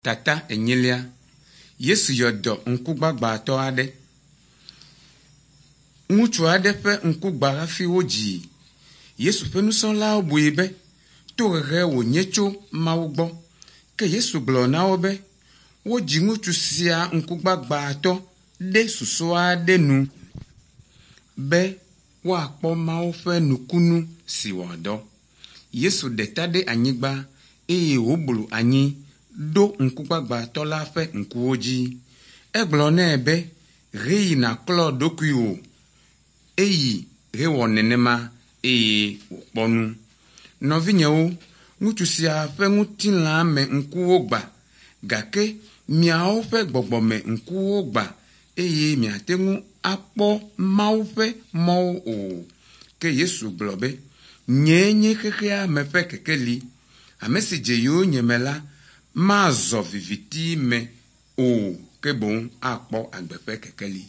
Tata enyilia. Yesu yɔ dɔ ŋkugbagbatɔ aɖe. Ŋutsu aɖe ƒe ŋku gba hafi wodzii. Yesu ƒe nusrɔ̃lawo bui be tohehe wònye tso Mawu gbɔ. Ke Yesu gblɔ na wo be, wodzi ŋutsu sia ŋkugbagbatɔ ɖe susu aɖe nu be woakpɔ Mawu ƒe nukunu si wòadɔ. Yesu ɖe ta ɖe anyigba eye wòblu anyi ɖo ŋkugbagbatɔ la ƒe ŋkuwo dzi. Egblɔ nɛ be, heyi nàklɔ ɖokuiwò. Eyi hewɔ nenema eye wòkpɔ nu. Nɔvinyewo, ŋutsu sia ƒe ŋutilã me ŋkuwo gbã gake miawo ƒe gbɔgbɔme ŋkuwo gbã eye miate ŋu akpɔ Mawu ƒe mɔwo o. Ke Yesu gblɔ be, nyee nye xexea me ƒe kekeli. Ame si dze yonyeme la, mazɔ viviti me o ke boŋ akpɔ agbe ƒe kekeli.